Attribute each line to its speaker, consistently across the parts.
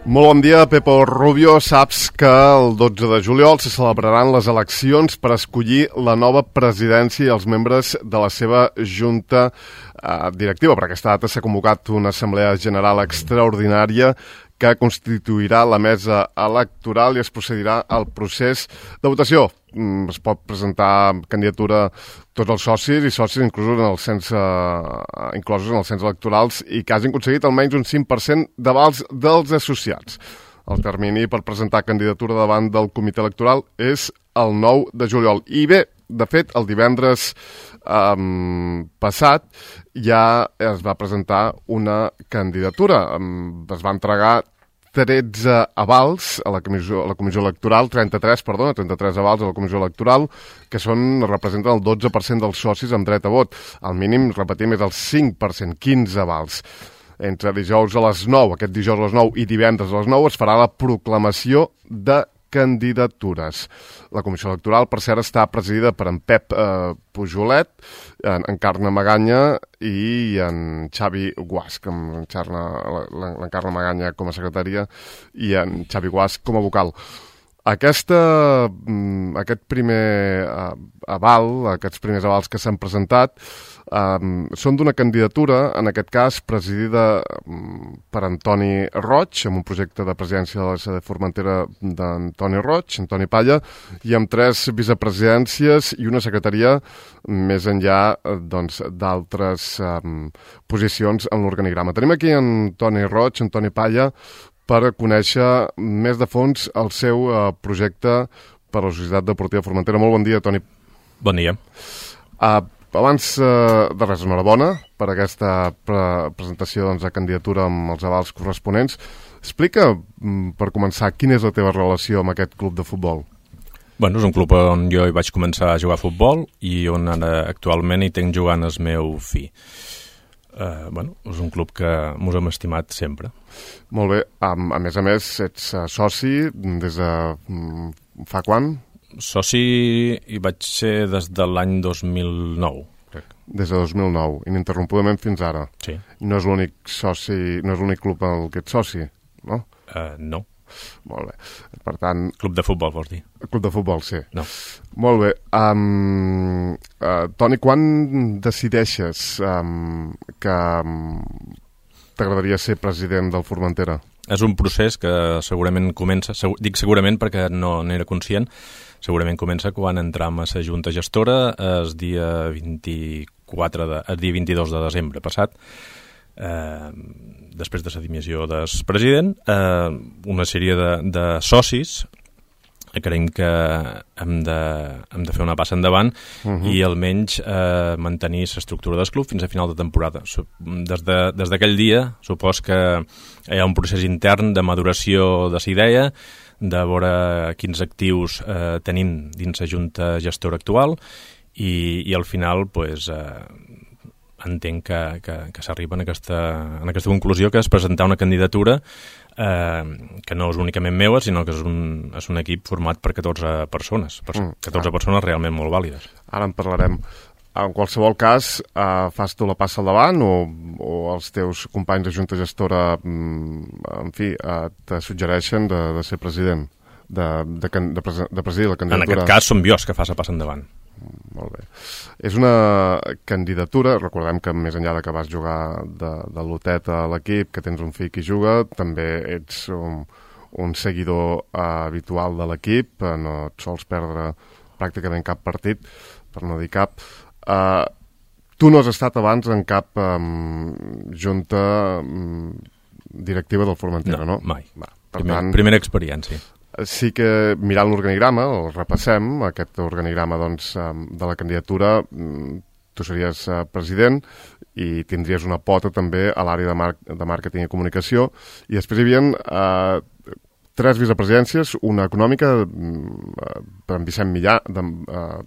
Speaker 1: Molt bon dia, Pepo Rubio. Saps que el 12 de juliol se celebraran les eleccions per escollir la nova presidència i els membres de la seva junta directiva. Per aquesta data s'ha convocat una assemblea general extraordinària que constituirà la mesa electoral i es procedirà al procés de votació. Es pot presentar candidatura tots els socis i socis inclosos en els cens electorals i que hagin aconseguit almenys un 5% d'avals dels associats. El termini per presentar candidatura davant del comitè electoral és el 9 de juliol. I bé, de fet, el divendres passat ja es va presentar una candidatura. Es va entregar 13 avals a la comissió electoral, 33 avals a la comissió electoral, que representen el 12% dels socis amb dret a vot. El mínim, repetim, és el 5%, 15 avals. Entre dijous a les 9, aquest dijous a les 9 i divendres a les 9 es farà la proclamació de candidatures. La comissió electoral, per cert, està presidida per en Pep Pujolet, en Carme Maganya i en Xavi Guasch, l'Encarna Maganya com a secretària i en Xavi Guasch com a vocal. Aquest primer aval, aquests primers avals que s'han presentat, són d'una candidatura, en aquest cas presidida per Antoni Roig, amb un projecte de presidència de la sede Formentera d'Antoni Roig, Antoni Palla, i amb 3 vicepresidències i una secretaria més enllà d'altres posicions en l'organigrama. Tenim aquí Antoni Roig, Antoni Palla, per conèixer més de fons el seu projecte per a la Societat Deportiva Formentera. Molt bon dia, Toni.
Speaker 2: Bon dia.
Speaker 1: Abans de res, enhorabona per aquesta presentació de candidatura amb els avals corresponents. Explica, per començar, quina és la teva relació amb aquest club de futbol?
Speaker 2: Bueno, és un club on jo hi vaig començar a jugar a futbol i on ara actualment hi tinc jugant el meu fill. És un club que mos hem estimat sempre.
Speaker 1: Molt bé. A més, ets soci des de fa quan?
Speaker 2: Soci hi vaig ser des de l'any 2009, crec.
Speaker 1: Des de 2009, ininterrompudament fins ara.
Speaker 2: Sí.
Speaker 1: No és l'únic soci, no és l'únic club en què ets soci, no?
Speaker 2: No.
Speaker 1: Molt bé. Per tant...
Speaker 2: Club de futbol, vols dir?
Speaker 1: Club de futbol, sí.
Speaker 2: No.
Speaker 1: Molt bé. Toni, quan decideixes que t'agradaria ser president del Formentera?
Speaker 2: És un procés que segurament comença, dic segurament perquè no n'era conscient, segurament comença quan entram a la Junta Gestora el dia 22 de desembre passat, després de la dimissió del president, una sèrie de socis creiem que hem de fer una passa endavant i almenys mantenir l'estructura del club fins a final de temporada. Des d'aquell dia, supos que hi ha un procés intern de maduració de la idea, de veure quins actius tenim dins la junta gestora actual i al final entenc que s'arriba en aquesta conclusió, que és presentar una candidatura que no és únicament meua, sinó que és un equip format per 14 persones, 14 persones realment molt vàlides. Ara
Speaker 1: en parlarem. En qualsevol cas, fas tu la passa al davant o els teus companys de junta gestora, en fi, te suggereixen de ser president, de presidir la candidatura?
Speaker 2: En aquest cas som jo que fa la passa endavant.
Speaker 1: Molt bé. És una candidatura, recordem que més enllà que vas jugar de lotet a l'equip, que tens un fill que juga, també ets un seguidor habitual de l'equip, no et sols perdre pràcticament cap partit, per no dir cap. Tu no has estat abans en cap junta directiva del Formentera, no?
Speaker 2: No, mai. Primera experiència.
Speaker 1: Sí que mirant l'organigrama, el repassem, aquest organigrama de la candidatura, tu series president i tindries una pota també a l'àrea de màrqueting i comunicació, i després hi havia 3 vicepresidències, una econòmica per en Vicent Millà,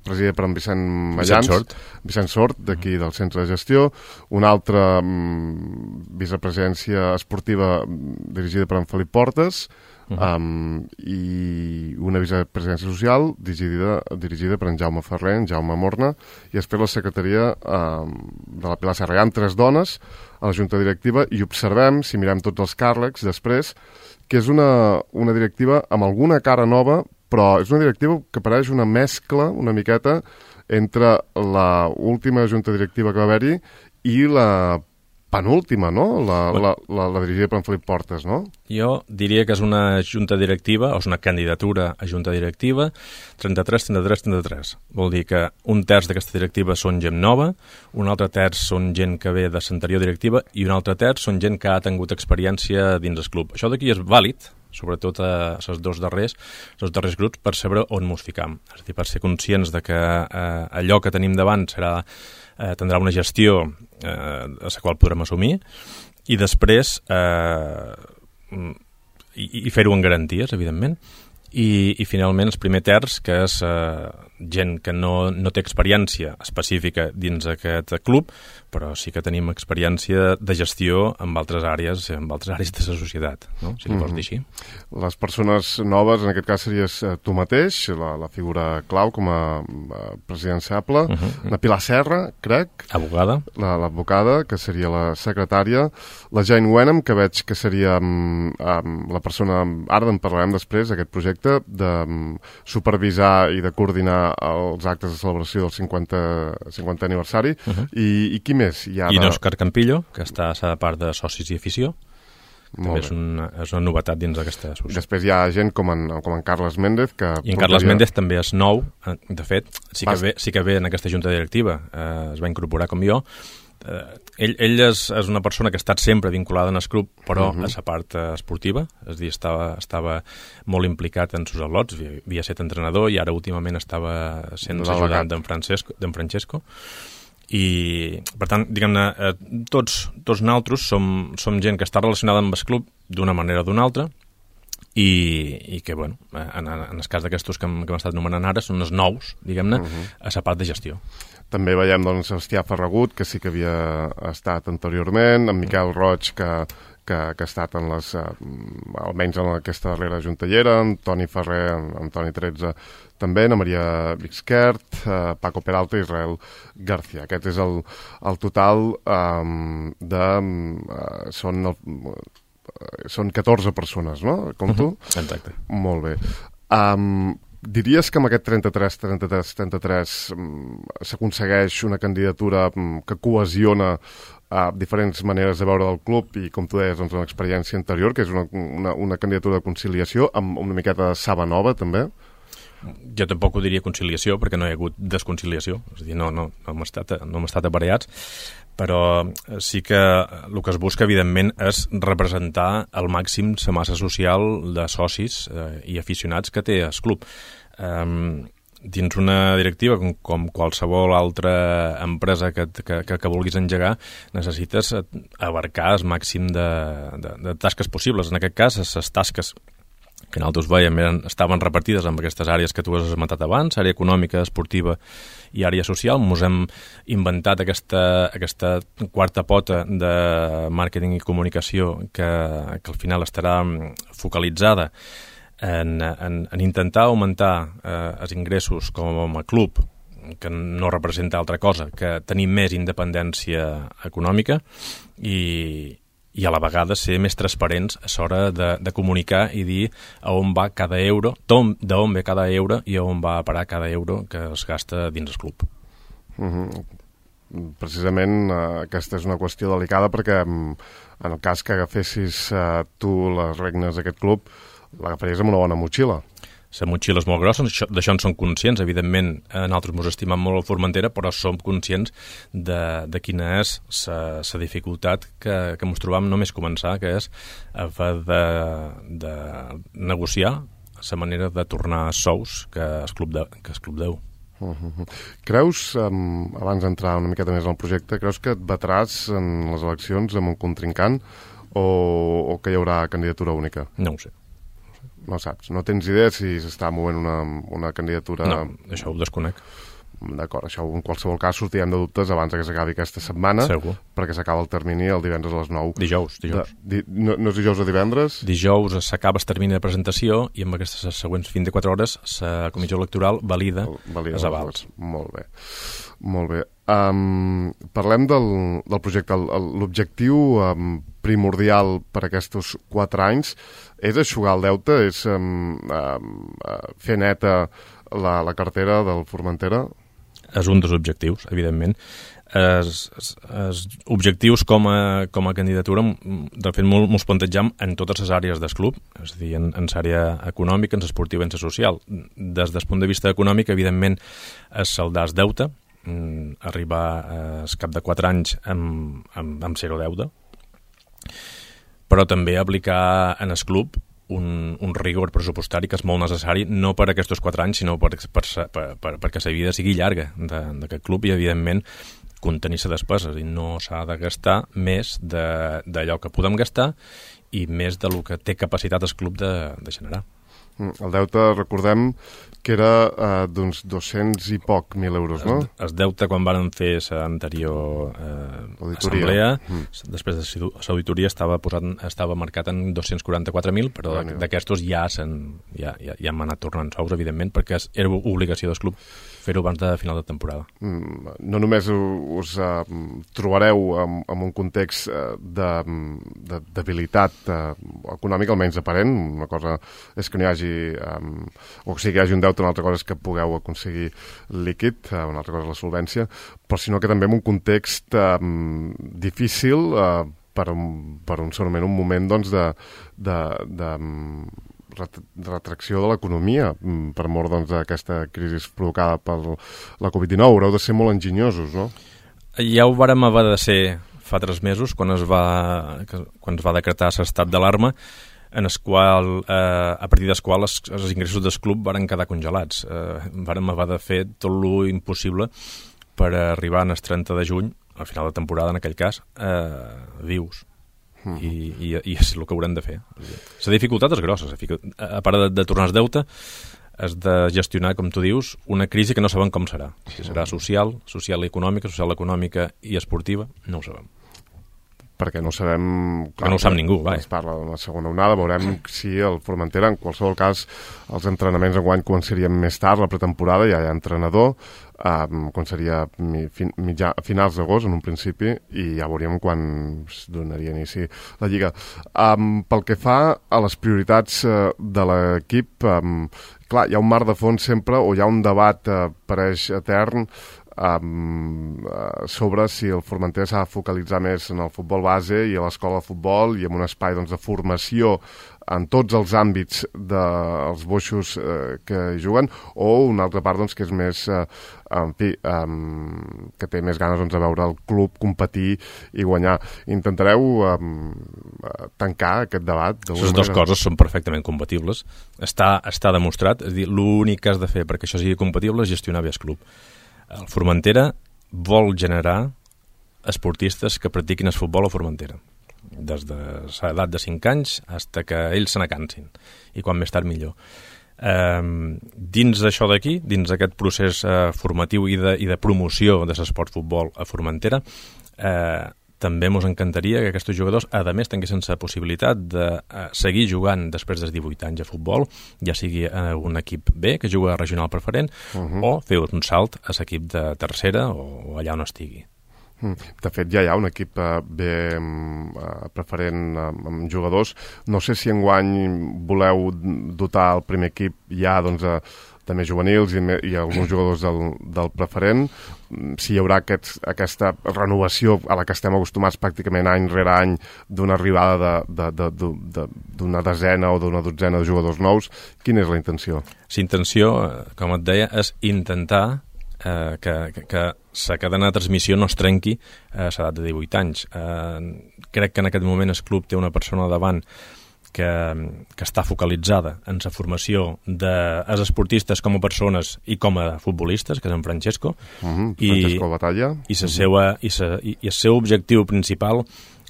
Speaker 1: presidida per en Vicent Mallans, Vicent Sort, d'aquí del centre de gestió, una altra vicepresidència esportiva dirigida per en Felip Portes, i una vicepresidència social dirigida per en Jaume Ferrer, en Jaume Morna, i després la secretaria de la Pilar Serra. Hi ha 3 dones a la junta directiva i observem, si mirem tots els càrrecs després, que és una directiva amb alguna cara nova, però és una directiva que pareix una mescla, una miqueta, entre la última junta directiva que va haver-hi i la penúltima, no? La dirigida per en Felip Portes, no?
Speaker 2: Jo diria que és una junta directiva, o és una candidatura a junta directiva 33-33-33. Vol dir que un terç d'aquesta directiva són gent nova, un altre terç són gent que ve de l'anterior directiva i un altre terç són gent que ha tingut experiència dins el club. Això d'aquí és vàlid, sobretot a els dos darrers grups, per saber on mos ficam. És a dir, per ser conscients de que allò que tenim davant tindrà una gestió a la qual podrem assumir i després i fer-ho en garanties, evidentment. I finalment el primer terç, que és gent que no té experiència específica dins aquest club, però sí que tenim experiència de gestió en altres àrees de la societat, no? Si li vols dir així.
Speaker 1: Les persones noves, en aquest cas series tu mateix, la figura clau com a presidenciable, la Pilar Serra, crec.
Speaker 2: Abogada.
Speaker 1: L'advocada, que seria la secretària, la Jane Wenham, que veig que seria la persona, ara en parlarem després, d'aquest projecte, de supervisar i de coordinar els actes de celebració del 50è aniversari. I qui més?
Speaker 2: I n'Òscar Campillo, que està a la part de socis i afició. També és una novetat dins d'aquesta associació.
Speaker 1: Després hi ha gent com en Carles Méndez, que...
Speaker 2: I en Carles Méndez també és nou, de fet, sí que ve en aquesta junta directiva, es va incorporar com jo. Ell és una persona que ha estat sempre vinculada en el club, però a la part esportiva, és a dir, estava molt implicat en els al·lots, havia estat entrenador i ara últimament estava sent ajudant d'en Francesco. I, per tant, diguem-ne, tots nosaltres som gent que està relacionada amb el club d'una manera o d'una altra i que, bueno, en el cas d'aquestos que hem estat nomenant ara són els nous, diguem-ne, a la part de gestió.
Speaker 1: També veiem, doncs, Sebastià Ferragut, que sí que havia estat anteriorment, en Miquel Roig, que ha estat en almenys en aquesta darrera juntellera, en Toni Ferrer, en Toni 13 també, Ana Maria Vixquert, Paco Peralta i Israel García. Aquest és el total són 14 persones, no? Com tu?
Speaker 2: Exacte.
Speaker 1: Molt bé. Diries que amb aquest 33 s'aconsegueix una candidatura que cohesiona diferents maneres de veure del club i, com tu deies, doncs, una experiència anterior, que és una candidatura de conciliació amb una miqueta de saba nova, també?
Speaker 2: Jo tampoc ho diria conciliació, perquè no hi ha hagut desconciliació, és a dir, no hem estat aparellats, però sí que el que es busca, evidentment, és representar al màxim la massa social de socis i aficionats que té el club. Dins una directiva, com qualsevol altra empresa que vulguis engegar, necessites abarcar el màxim de tasques possibles. En aquest cas, les tasques que nosaltres veiem estaven repartides amb aquestes àrees que tu has esmentat abans, àrea econòmica, esportiva i àrea social. Ens hem inventat aquesta quarta pota de màrqueting i comunicació que al final estarà focalitzada en intentar augmentar els ingressos com a club, que no representa altra cosa que tenir més independència econòmica i a la vegada ser més transparents a l'hora de comunicar i dir a on va cada euro, d'on ve cada euro i a on va a parar cada euro que es gasta dins el club.
Speaker 1: Precisament aquesta és una qüestió delicada perquè en el cas que agafessis tu les regnes d'aquest club l'agafaries amb una bona motxilla.
Speaker 2: La motxilla és molt grossa, d'això en som conscients, evidentment nosaltres ens estimem molt a Formentera, però som conscients de quina és la dificultat que ens trobam només començar, que és de negociar la manera de tornar sous que el club deu.
Speaker 1: Creus, abans d'entrar una miqueta més en el projecte, creus que et batràs en les eleccions amb un contrincant o que hi haurà candidatura única?
Speaker 2: No ho sé.
Speaker 1: No saps, no tens idea si s'està movent una candidatura...
Speaker 2: No, això ho desconec.
Speaker 1: D'acord, això en qualsevol cas sortirem de dubtes abans que s'acabi aquesta setmana.
Speaker 2: Segur.
Speaker 1: Perquè s'acaba el termini el divendres a les 9.
Speaker 2: Dijous.
Speaker 1: No és dijous o divendres?
Speaker 2: Dijous s'acaba el termini de presentació i amb aquestes següents 24 hores la comissió electoral valida els avals.
Speaker 1: Molt bé. Parlem del projecte. L'objectiu primordial per aquests 4 anys és eixugar el deute, és fer neta la cartera del Formentera?
Speaker 2: És un dels objectius, evidentment. Objectius com a candidatura, de fet, molts plantejam en totes les àrees del club, és a dir, en l'àrea econòmica, en l'esportiva i en la social. Des del punt de vista econòmic, evidentment, és saldar el deute, arribar al cap de 4 anys amb zero deute, però també aplicar en el club un rigor pressupostari que és molt necessari, no per aquests 4 anys, sinó perquè la vida sigui llarga d'aquest club i, evidentment, contenir les despeses, i no s'ha de gastar més d'allò que podem gastar i més del que té capacitat el club de generar.
Speaker 1: El deute, recordem, que era d'uns 200 i poc mil euros, no?
Speaker 2: El deute, quan van fer l'anterior assemblea, després de l'auditoria estava marcat en 244.000, però d'aquestos ja hem anat tornant sous, evidentment, perquè era obligació del club fer-ho abans de final de temporada.
Speaker 1: No només us trobareu en un context de debilitat econòmica, almenys aparent, una cosa és que no hi hagi o sigui que hi hagi un deute, una altra cosa és que pugueu aconseguir líquid, una altra cosa és la solvència, però sinó que també en un context difícil per segurament un moment doncs, de retracció de l'economia per mort d'aquesta crisi provocada per la Covid-19. Haureu de ser molt enginyosos, no?
Speaker 2: Ja ho vàrem haver de ser fa 3 mesos, quan es va decretar l'estat d'alarma, en el qual, a partir del qual els ingressos del club varen quedar congelats. Vàrem haver de fer tot lo impossible per arribar al 30 de juny, al final de temporada en aquell cas, vius. I és el que haurem de fer. La dificultat és grossa. A part de tornar el deute, és de gestionar, com tu dius, una crisi que no sabem com serà. Si serà social i econòmica, i esportiva, no ho sabem.
Speaker 1: Perquè no sabem...
Speaker 2: Clar, no ho sap ningú,
Speaker 1: es parla d'una segona onada, veurem si el Formentera, en qualsevol cas, els entrenaments enguany començarien més tard, la pretemporada, ja hi ha entrenador, començaria a finals d'agost, en un principi, i ja veuríem quan es donaria inici la Lliga. Pel que fa a les prioritats de l'equip, clar, hi ha un mar de fons sempre, o hi ha un debat pareix etern, sobre si el Formentera s'ha de focalitzar més en el futbol base i a l'escola de futbol i en un espai doncs, de formació en tots els àmbits dels boixos que hi juguen, o una altra part doncs, que és més que té més ganes doncs, de veure el club competir i guanyar. Intentareu tancar aquest debat?
Speaker 2: Les dues coses són perfectament compatibles. Està demostrat, és a dir, l'únic que has de fer perquè això sigui compatible és gestionar bé el club. El Formentera vol generar esportistes que practiquin el futbol a Formentera, des de l'edat de 5 anys fins que ells se n'acansin, i quan més tard millor. Dins d'això d'aquí, dins d'aquest procés formatiu i de promoció de l'esport futbol a Formentera, també ens encantaria que aquests jugadors, a més, tinguessin la possibilitat de seguir jugant després dels 18 anys a futbol, ja sigui un equip B, que juga a regional preferent, o fer un salt a l'equip de tercera o allà on estigui.
Speaker 1: De fet, ja hi ha un equip B preferent amb jugadors. No sé si enguany voleu dotar el primer equip ja doncs, també juvenils i alguns jugadors del preferent, si hi haurà aquesta renovació a la que estem acostumats pràcticament any rere any d'una arribada d'una desena o d'una dotzena de jugadors nous. Quina és la intenció?
Speaker 2: La intenció, com et deia, és intentar que la cadena de transmissió no es trenqui a l'edat de 18 anys. Crec que en aquest moment el club té una persona davant que està focalitzada en la formació dels esportistes com a persones i com a futbolistes, que és en Francesco.
Speaker 1: Francesco Batalla.
Speaker 2: I el seu objectiu principal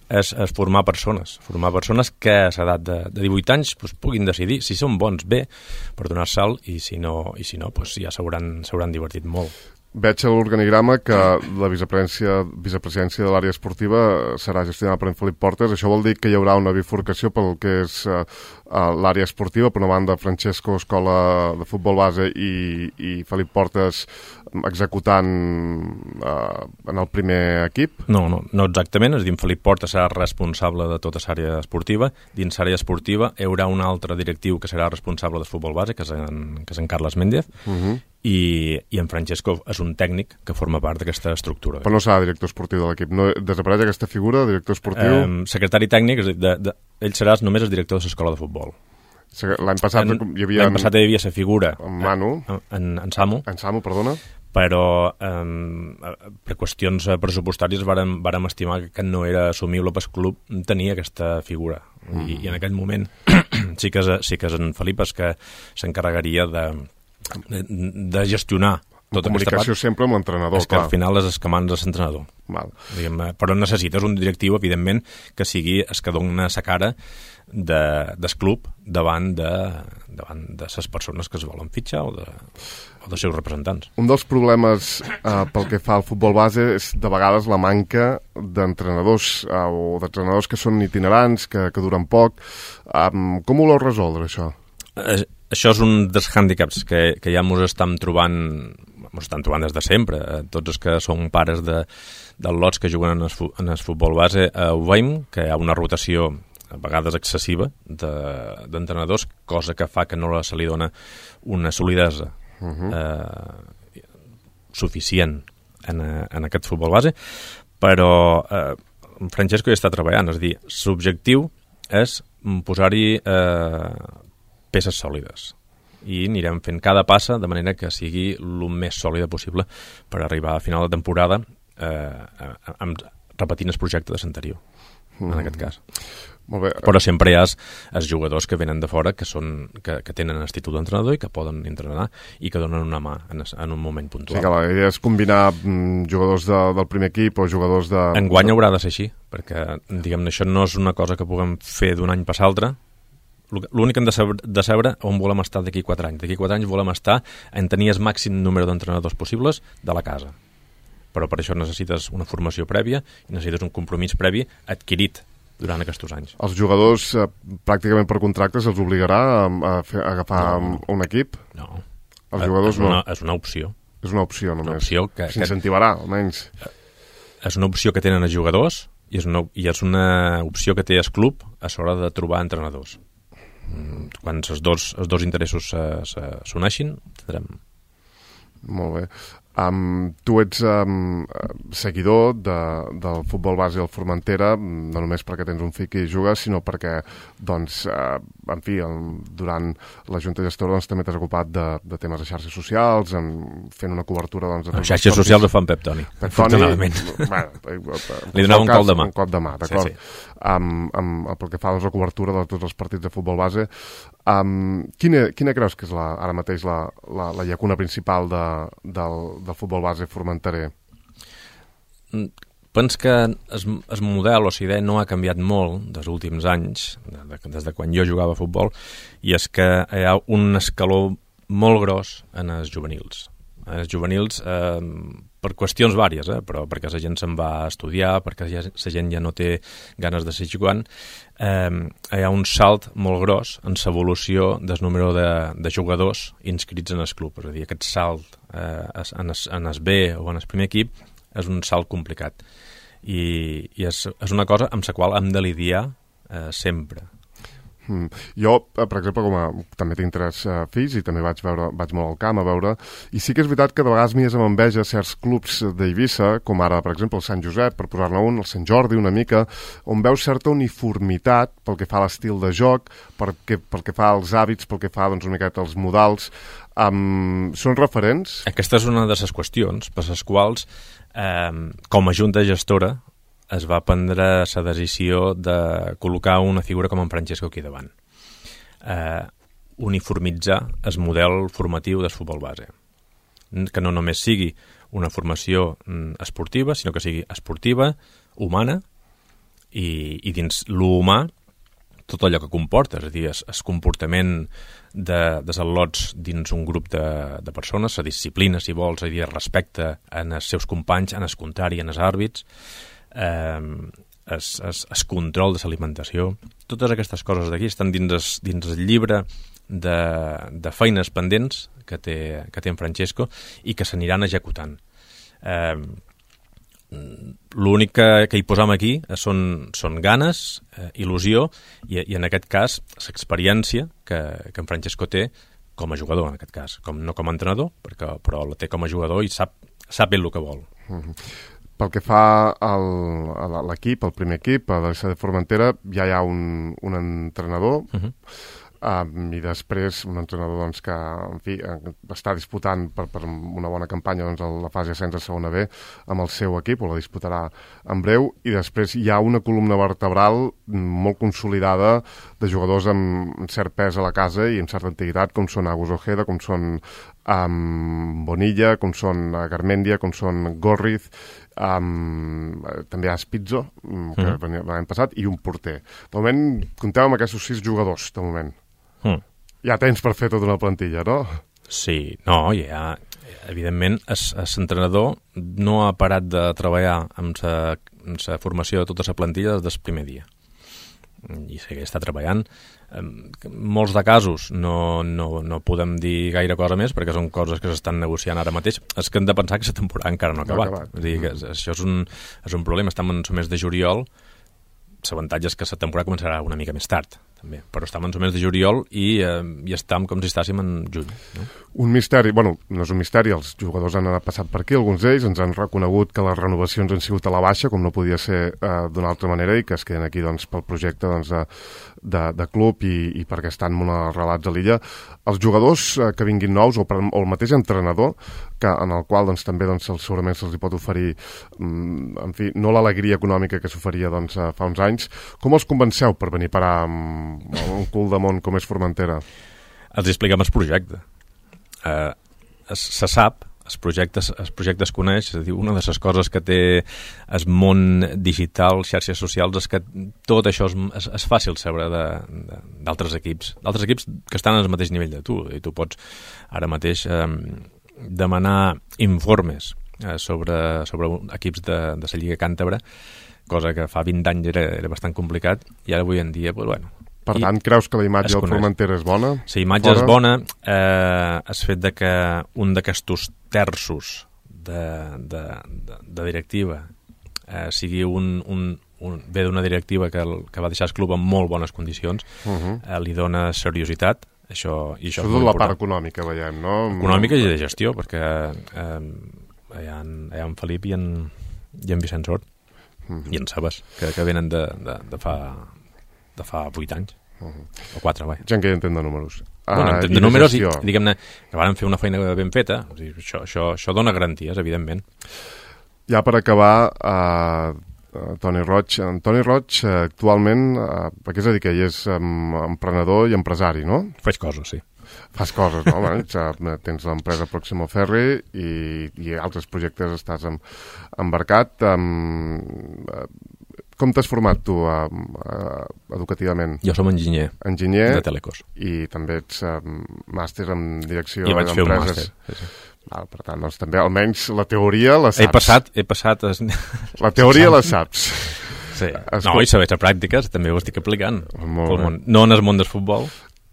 Speaker 2: és formar persones que a l'edat de 18 anys puguin decidir si són bons bé per donar salt, i si no ja s'hauran divertit molt.
Speaker 1: Veig a l'organigrama que la vicepresidència de l'àrea esportiva serà gestionada per en Felip Portes. Això vol dir que hi haurà una bifurcació pel que és l'àrea esportiva, per una banda Francesco Escola de futbol base i Felip Portes executant en el primer equip?
Speaker 2: No exactament, és a dir, Felip Portes serà responsable de tota l'àrea esportiva. Dins l'àrea esportiva hi haurà un altre directiu que serà responsable de futbol base, que és en Carles Méndez, i en Francesco és un tècnic que forma part d'aquesta estructura.
Speaker 1: Però no serà director esportiu de l'equip, no desapareix aquesta figura, director esportiu?
Speaker 2: Secretari tècnic, és a dir, ell serà només el director de l'escola de futbol.
Speaker 1: L'any passat hi havia
Speaker 2: la figura
Speaker 1: en Manu,
Speaker 2: en Samu,
Speaker 1: perdona,
Speaker 2: però per qüestions pressupostàries vàrem estimar que no era assumible pel club tenir aquesta figura. I en aquell moment sí que és en Felip que s'encarregaria de gestionar tota
Speaker 1: comunicació sempre amb l'entrenador,
Speaker 2: és que al final és escamant de l'entrenador. Però necessites un directiu, evidentment, que sigui el que dona la cara del club davant de les persones que es volen fitxar o dels seus representants.
Speaker 1: Un dels problemes pel que fa al futbol base és de vegades la manca d'entrenadors o d'entrenadors que són itinerants, que duren poc. Com ho voleu resoldre, això?
Speaker 2: Això és un dels hàndicaps que ja ens estan trobant des de sempre. Tots els que són pares dels lots que juguen en el futbol base ho veiem, que hi ha una rotació a vegades excessiva d'entrenadors, cosa que fa que no se li dona una solidesa suficient en aquest futbol base, però Francesco hi està treballant, és a dir, l'objectiu és posar-hi peces sòlides i anirem fent cada passa de manera que sigui el més sòlida possible per arribar a final de temporada repetint el projecte de l'anterior, en aquest cas.
Speaker 1: Molt bé.
Speaker 2: Però sempre hi ha els jugadors que venen de fora que tenen el títol d'entrenador i que poden entrenar i que donen una mà en un moment puntual.
Speaker 1: Sí, que la idea és combinar jugadors del primer equip o jugadors de...
Speaker 2: Enguany haurà de ser així, perquè diguem-ne, això no és una cosa que puguem fer d'un any per l'altre. L'únic que hem de saber on volem estar d'aquí 4 anys. D'aquí 4 anys volem estar en tenir el màxim número d'entrenadors possibles de la casa. Però per això necessites una formació prèvia i necessites un compromís previ adquirit durant aquests anys.
Speaker 1: Els jugadors, pràcticament per contractes, els obligarà a agafar un equip?
Speaker 2: No.
Speaker 1: Els jugadors no?
Speaker 2: És una opció.
Speaker 1: És una opció, només.
Speaker 2: Una opció que
Speaker 1: s'incentivarà, almenys.
Speaker 2: És una opció que tenen els jugadors i és una opció que té el club a l'hora de trobar entrenadors. Quan els dos interessos s'uneixin, tindrem...
Speaker 1: Molt bé. Tu ets seguidor del futbol base al Formentera, no només perquè tens un fill que hi juga, sinó perquè, doncs, en fi, durant la Junta Gestora doncs, també t'has ocupat de temes de xarxes socials, fent una cobertura... Doncs,
Speaker 2: les xarxes socials ho fan Pep Toni, afortunadament. Li donava un cop de mà.
Speaker 1: Un cop de mà, d'acord. Sí. Pel que fa a la cobertura de tots els partits de futbol base, quina creus que és ara mateix la llacuna principal del futbol base formenterer?
Speaker 2: Penso que el model o la idea no ha canviat molt dels últims anys, des de quan jo jugava a futbol, i és que hi ha un escaló molt gros en els juvenils. Els juvenils, per qüestions vàries, però perquè la gent se'n va a estudiar, perquè la gent ja no té ganes de seguir jugant, hi ha un salt molt gros en l'evolució del número de jugadors inscrits en el club. És a dir, aquest salt en el B o en el primer equip és un salt complicat. I és una cosa amb la qual hem de lidiar sempre.
Speaker 1: Jo, per exemple, també tinc 3 fills i també vaig molt al camp a veure, i sí que és veritat que de vegades mires amb enveja certs clubs d'Eivissa, com ara, per exemple, el Sant Josep, per posar-ne un, el Sant Jordi, una mica, on veus certa uniformitat pel que fa a l'estil de joc, pel que fa als hàbits, pel que fa doncs, una miqueta als modals. Són referents?
Speaker 2: Aquesta és una de les qüestions per les quals, com a junta gestora, es va prendre la decisió de col·locar una figura com en Francesco aquí davant. Uniformitzar el model formatiu del futbol base. Que no només sigui una formació esportiva, sinó que sigui esportiva, humana, i dins l'humà tot allò que comporta, és a dir, el comportament dels al·lots dins un grup de persones, la disciplina, si vols, és a dir, el respecte en els seus companys, en el contrari, en els àrbits, es control de l'alimentació, totes aquestes coses d'aquí estan dins el llibre de feines pendents que té en Francesco i que s'aniran executant. L'únic que hi posam aquí són ganes, il·lusió i en aquest cas l'experiència que en Francesco té com a jugador, en aquest cas, no com a entrenador, però la té com a jugador i sap ell el que vol.
Speaker 1: Pel que fa a l'equip, el primer equip, a l'S de Formentera, ja hi ha un entrenador, i després un entrenador doncs, que en fi, està disputant per una bona campanya doncs, la fase ascens a segona B amb el seu equip, o la disputarà en breu, i després hi ha una columna vertebral molt consolidada de jugadors amb cert pes a la casa i amb certa antiguitat, com són Agus Ojeda, com són Bonilla, com són Garmendia, com són Gorriz, també hi ha Spizzo, que venia l'any passat, i un porter. De moment, compteu amb aquests 6 jugadors, de moment. Hi ha temps per fer tota una plantilla, no?
Speaker 2: Sí, no, evidentment, l'entrenador no ha parat de treballar amb la formació de tota la plantilla des del primer dia. I està treballant. En molts de casos no podem dir gaire cosa més perquè són coses que s'estan negociant ara mateix. És que hem de pensar que la temporada encara no ha acabat. És a dir, que això és un problema. Estem en el mes de juliol. L'avantatge és que la temporada començarà una mica més tard, també. Però estem en el mes de juliol i estem com si estàssim en juny. No?
Speaker 1: Un misteri, bueno, no és un misteri, els jugadors han passat per aquí, alguns d'ells ens han reconegut que les renovacions han sigut a la baixa, com no podia ser d'una altra manera, i que es queden aquí doncs, pel projecte doncs, de club i perquè estan molt arrelats a l'illa. Els jugadors que vinguin nous, o el mateix entrenador, en el qual doncs, també doncs, segurament se'ls pot oferir en fi, no l'alegria econòmica que s'oferia doncs, fa uns anys, com els convenceu per venir a parar amb un cul de món com és Formentera?
Speaker 2: Els expliquem el projecte. Se sap, el projecte es coneix, és a dir, una de les coses que té el món digital, xarxes socials, és que tot això és fàcil saber d'altres equips que estan al mateix nivell de tu, i tu pots ara mateix demanar informes sobre equips de la Lliga Càntabra, cosa que fa 20 anys era bastant complicat, i ara avui en dia, doncs, bueno...
Speaker 1: Per tant, creus que la imatge del Formentera és bona?
Speaker 2: La imatge és bona, el fet de que un d'aquests terços de directiva sigui ve d'una directiva que va deixar el club en molt bones condicions, li dona seriositat. Això és
Speaker 1: molt important. La part econòmica, veiem, no?
Speaker 2: Econòmica i de gestió, perquè hi ha en Felip i en Vicent Sort i en Sabas, que venen de fa 8 anys, o 4, vai.
Speaker 1: Gent que ja entén de números.
Speaker 2: Bueno, entén de números i, diguem-ne, que van fer una feina ben feta. Això dona garanties, evidentment.
Speaker 1: Ja per acabar, Toni Roig. En Toni Roig, actualment, a què es dedica? Ell és emprenedor i empresari, no?
Speaker 2: Faig coses, sí.
Speaker 1: Fas coses, no? Tens l'empresa Pròximo Ferri i altres projectes estàs embarcat. Com t'has format tu educativament?
Speaker 2: Jo som enginyer de Telecos.
Speaker 1: I també ets màster en direcció
Speaker 2: d'empreses. I vaig fer un màster, sí.
Speaker 1: Per tant, doncs també almenys la teoria la saps.
Speaker 2: He passat...
Speaker 1: La teoria la saps.
Speaker 2: Sí. No, i saber a pràctiques també ho estic aplicant. No en el món del futbol.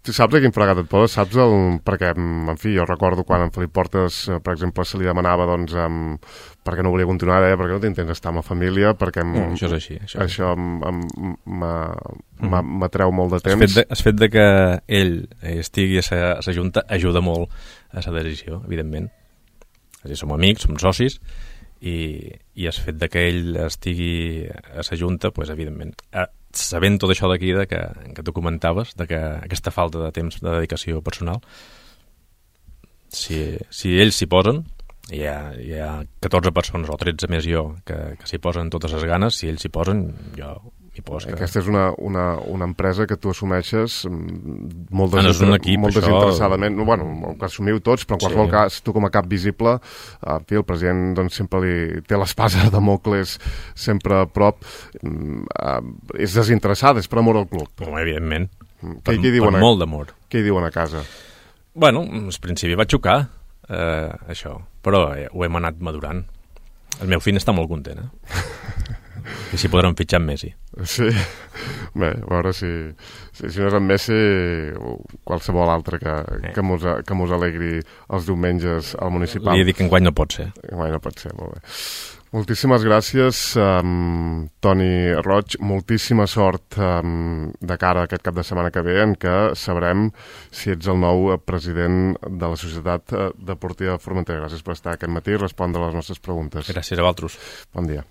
Speaker 1: Tu saps a quin fregat et poses? Saps perquè, en fi, jo recordo quan en Felip Portes, per exemple, se li demanava, doncs, perquè no volia continuar, deia, perquè no t'intents estar amb la família, perquè
Speaker 2: això és així.
Speaker 1: Això m'atreu molt de temps.
Speaker 2: El fet de que ell estigui a la Junta ajuda molt a la decisió, evidentment. És a dir, som amics, som socis, i el fet de que ell estigui a la Junta, doncs, evidentment, sabent tot això d'aquí que tu comentaves, de que aquesta falta de temps de dedicació personal, si ells s'hi posen, hi ha 14 persones o 13 més jo que s'hi posen totes les ganes, si ells s'hi posen, jo m'hi poso.
Speaker 1: Aquesta és una empresa que tu assumeixes molt desinteressadament. Bueno, que assumiu tots, però en qualsevol cas, tu com a cap visible, el president doncs, sempre té l'espasa de Mocles sempre a prop, és desinteressada, és per amor al club.
Speaker 2: Evidentment,
Speaker 1: per
Speaker 2: molt d'amor.
Speaker 1: Què hi diuen a casa?
Speaker 2: Bueno, al principi va xocar, això, però ho hem anat madurant. El meu fill està molt content, que s'hi podran fitxar amb Messi.
Speaker 1: Sí, bé, a veure si no és en Messi o qualsevol altre que mos alegri els diumenges al municipal.
Speaker 2: Li he dit que enguany no pot ser.
Speaker 1: Enguany no pot ser, molt bé. Moltíssimes gràcies, Toni Roig. Moltíssima sort de cara a aquest cap de setmana que ve, en què sabrem si ets el nou president de la Societat Deportiva Formentera. Gràcies per estar aquest matí i respondre a les nostres preguntes.
Speaker 2: Gràcies a vosaltres.
Speaker 1: Bon dia.